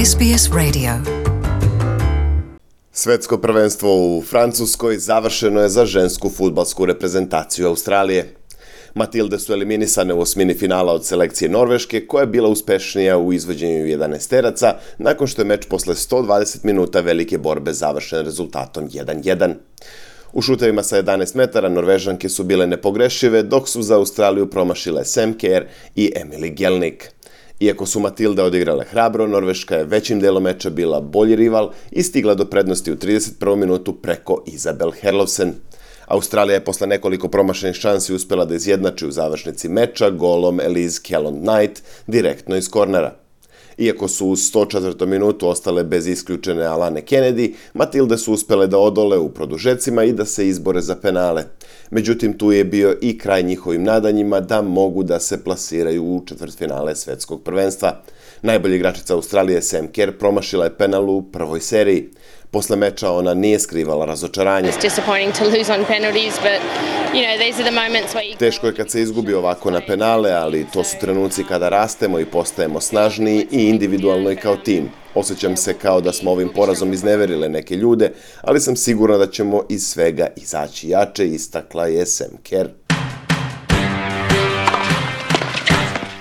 SBS Radio. Svetsko prvenstvo u Francuskoj završeno je za žensku fudbalsku reprezentaciju Australije. Matilde su eliminisane u osmini finala od selekcije Norveške, koja je bila uspešnija u izvođenju 11-teraca, nakon što je meč posle 120 minuta velike borbe završen rezultatom 1:1. U šutevima sa 11 metara Norvežanke su bile nepogrešive, dok su za Australiju promašile Sam Kerr i Emily Gelnik. Iako su Matilde odigrale hrabro, Norveška je većim delom meča bila bolji rival i stigla do prednosti u 31. minutu preko Isabel Herlovsen. Australija je posle nekoliko promašenih šansi uspela da izjednači u završnici meča golom Elise Kellond-Knight direktno iz kornera. Iako su u 104. minutu ostale bez isključene Alane Kennedy, Matilde su uspele da odole u produžecima i da se izbore za penale. Međutim, tu je bio i kraj njihovim nadanjima da mogu da se plasiraju u četvrtfinale svetskog prvenstva. Najbolja igračica Australije Sam Kerr promašila je penal u prvoj seriji. Posle meča ona nije skrivala razočaranje. Teško je kad se izgubi ovako na penale, ali to su trenuci kada rastemo i postajemo snažniji i individualno i kao tim. Osjećam se kao da smo ovim porazom izneverile neke ljude, ali sam sigurna da ćemo iz svega izaći jače, istakla je Sam Kerr.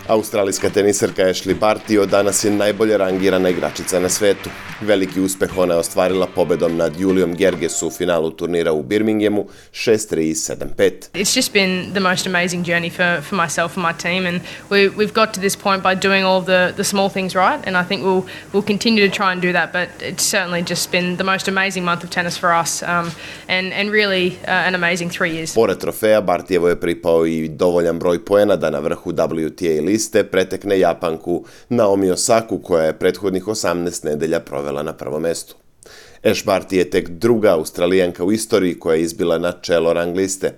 Australijska teniserka Ashleigh Barty od danas je najbolje rangirana igračica na svetu. Veliki uspeh ona je ostvarila pobedom nad Julijom Gerges u finalu turnira u Birminghamu 6-3 i 7-5. It's just been the most amazing journey for myself and my team, and we've got to this point by doing all the small things right, and I think we'll continue to try and do that, but it's certainly just been the most amazing month of tennis for us, and really an amazing 3 years. Pored trofeja, Bartijevo je pripao i dovoljan broj poena da na vrhu WTA liste pretekne Japanku Naomi Osaku, koja je prethodnih 18 nedelja provela na prvom mestu. Ash Barty je tek druga Australijanka u istoriji koja je izbila na čelo rang liste.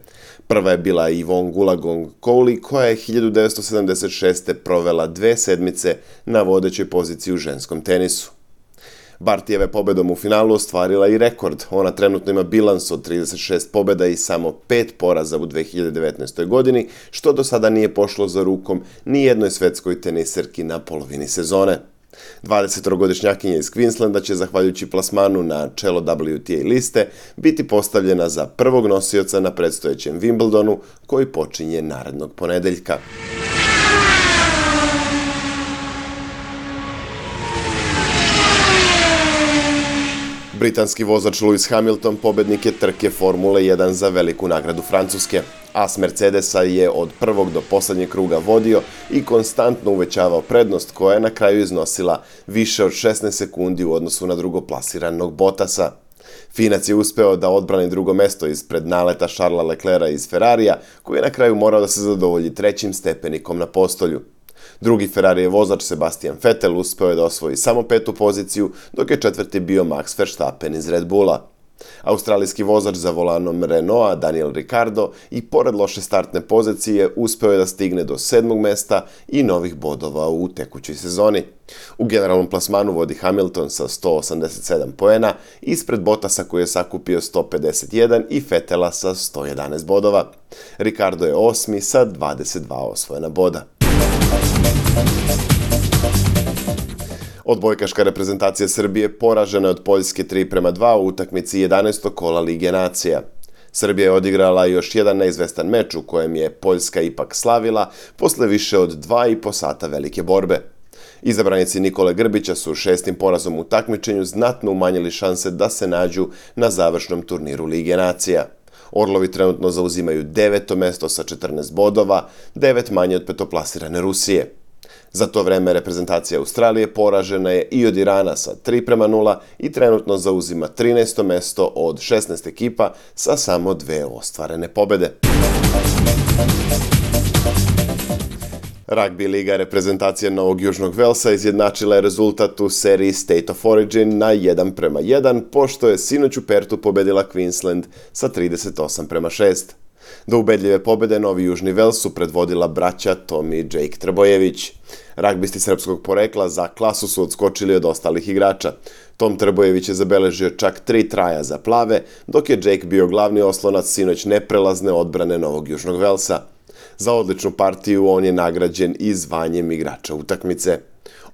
Prva je bila Yvonne Goolagong-Cowley, koja je 1976. provela 2 sedmice na vodećoj poziciji u ženskom tenisu. Bartijeva pobedom u finalu ostvarila i rekord. Ona trenutno ima bilans od 36 pobjeda i samo 5 poraza u 2019. godini, što do sada nije pošlo za rukom ni jednoj svetskoj teniserki na polovini sezone. 20-godišnjakinja iz Queenslanda će, zahvaljujući plasmanu na čelo WTA liste, biti postavljena za prvog nosioca na predstojećem Wimbledonu, koji počinje narednog ponedeljka. Britanski vozač Lewis Hamilton pobednik je trke Formule 1 za veliku nagradu Francuske. As Mercedesa je od prvog do poslednjeg kruga vodio i konstantno uvećavao prednost, koja je na kraju iznosila više od 16 sekundi u odnosu na drugoplasiranog Bottasa. Finac je uspeo da odbrani drugo mesto ispred naleta Charlesa Leclerca iz Ferrarija, koji je na kraju morao da se zadovolji 3. stepenikom na postolju. Drugi Ferrarijev vozač Sebastian Vettel uspeo je da osvoji samo 5. poziciju, dok je 4. bio Max Verstappen iz Red Bulla. Australijski vozač za volanom Renaulta Daniel Ricciardo i pored loše startne pozicije uspeo je da stigne do 7. mesta i novih bodova u tekućoj sezoni. U generalnom plasmanu vodi Hamilton sa 187 poena, ispred Bottasa koji je sakupio 151 i Vettela sa 111 bodova. Ricciardo je 8. sa 22 osvojena boda. Odbojkaška reprezentacija Srbije poražena je od Poljske 3:2 u utakmici 11. kola Lige nacija. Srbija je odigrala još jedan neizvestan meč u kojem je Poljska ipak slavila posle više od 2,5 sata velike borbe. Izabranici Nikole Grbića su 6. porazom u takmičenju znatno umanjili šanse da se nađu na završnom turniru Lige nacija. Orlovi trenutno zauzimaju 9. mesto sa 14 bodova, 9 manje od petoplasirane Rusije. Za to vreme reprezentacija Australije poražena je i od Irana sa 3:0 i trenutno zauzima 13. mesto od 16 ekipa sa samo 2 ostvarene pobede. Rugby liga reprezentacija Novog Južnog Velsa izjednačila je rezultat u seriji State of Origin na 1:1, pošto je sinoć u Pertu pobedila Queensland sa 38:6. Do ubedljive pobede Novi Južni Vels su predvodila braća Tom i Jake Trbojević. Ragbisti srpskog porekla za klasu su odskočili od ostalih igrača. Tom Trbojević je zabeležio čak 3 traja za plave, dok je Jake bio glavni oslonac sinoć neprelazne odbrane Novog Južnog Velsa. Za odličnu partiju on je nagrađen i zvanjem igrača utakmice.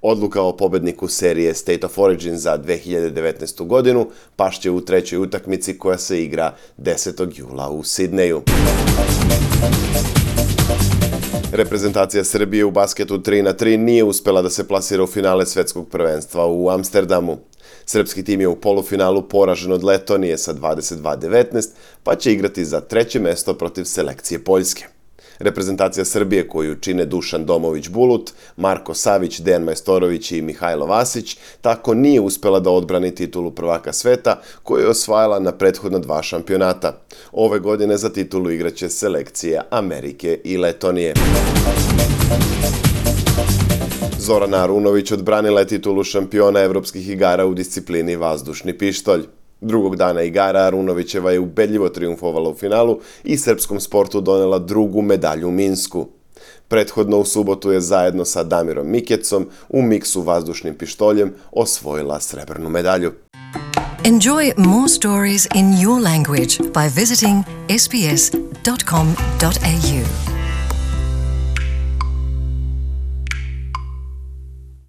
Odluka o pobedniku serije State of Origin za 2019. godinu pašće u trećoj utakmici koja se igra 10. jula u Sidneju. Reprezentacija Srbije u basketu 3x3 nije uspela da se plasira u finale svetskog prvenstva u Amsterdamu. Srpski tim je u polufinalu poražen od Letonije sa 22-19, pa će igrati za treće mesto protiv selekcije Poljske. Reprezentacija Srbije, koju čine Dušan Domović-Bulut, Marko Savić, Dejan Majstorović i Mihajlo Vasić, tako nije uspela da odbrani titulu prvaka sveta, koju je osvajala na prethodna 2 šampionata. Ove godine za titulu igraće selekcije Amerike i Letonije. Zorana Arunović odbranila je titulu šampiona evropskih igara u disciplini vazdušni pištolj. Drugog dana igara Arunovićeva je ubedljivo triumfovala u finalu i srpskom sportu donela drugu medalju u Minsku. Prethodno u subotu je zajedno sa Damirom Mikecom u miksu vazdušnim pištoljem osvojila srebrnu medalju. Enjoy more stories in your language by visiting sbs.com.au.